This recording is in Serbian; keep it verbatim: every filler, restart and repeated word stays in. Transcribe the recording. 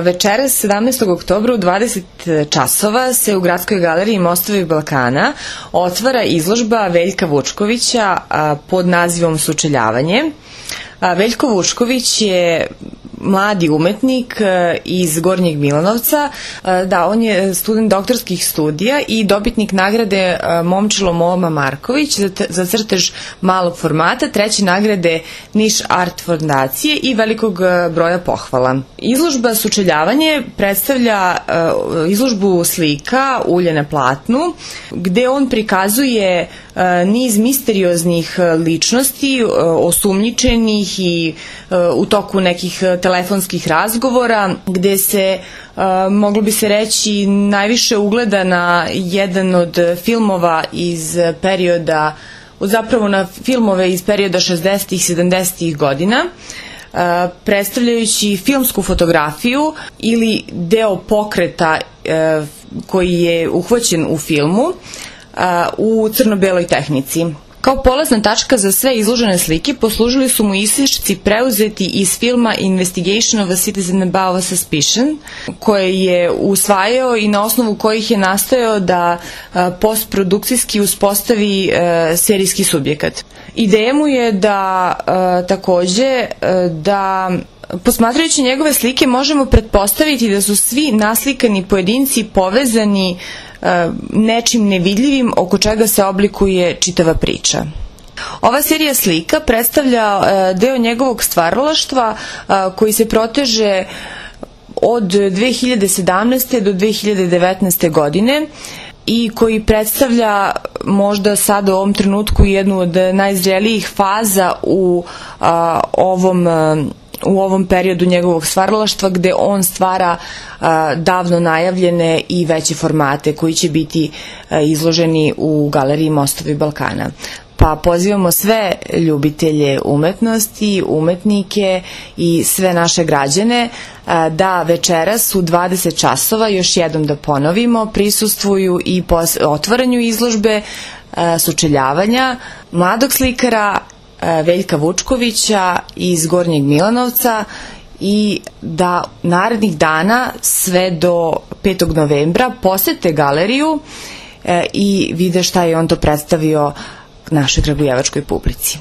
Večeras sedamnaestog oktobra u dvadeset časova se u Gradskoj galeriji Mostovi Balkana otvara izložba Veljka Vučkovića pod nazivom Sučeljavanje. Veljko Vučković je mladi umetnik iz Gornjeg Milanovca. Da, on je student doktorskih studija i dobitnik nagrade Momčilo Moma Marković za crtež malog formata, treće nagrade Niš Art fondacije i velikog broja pohvala. Izložba Sučeljavanje predstavlja izložbu slika ulje na platnu, gde on prikazuje niz misterioznih ličnosti, osumnjičenih i u toku nekih telefonskih razgovora, gde se, moglo bi se reći, najviše ugleda na jedan od filmova iz perioda, zapravo na filmove iz perioda šezdesetih i sedamdesetih godina, predstavljajući filmsku fotografiju ili deo pokreta koji je uhvaćen u filmu u crno-beloj tehnici. Kao polazna tačka za sve izložene slike poslužili su mu isječci preuzeti iz filma Investigation of a Citizen Above Suspicion, koje je usvajao i na osnovu kojih je nastojao da postprodukcijski uspostavi serijski subjekat. Ideja mu je da takođe da posmatrajući njegove slike možemo pretpostaviti da su svi naslikani pojedinci povezani nečim nevidljivim oko čega se oblikuje čitava priča. Ova serija slika predstavlja deo njegovog stvaralaštva koji se proteže od dve hiljade sedamnaeste. do dve hiljade devetnaeste. godine i koji predstavlja možda sad u ovom trenutku jednu od najzrelijih faza u ovom u ovom periodu njegovog stvaralaštva, gde on stvara a, davno najavljene i veće formate koji će biti a, izloženi u galeriji Mostovi Balkana. Pa pozivamo sve ljubitelje umetnosti, umetnike i sve naše građane a, da večeras u dvadeset časova, još jednom da ponovimo, prisustvuju i otvaranju izložbe a, Sučeljavanja mladog slikara Veljka Vučkovića iz Gornjeg Milanovca i da narednih dana sve do petog novembra posete galeriju i vide šta je on to predstavio našoj kragujevačkoj publici.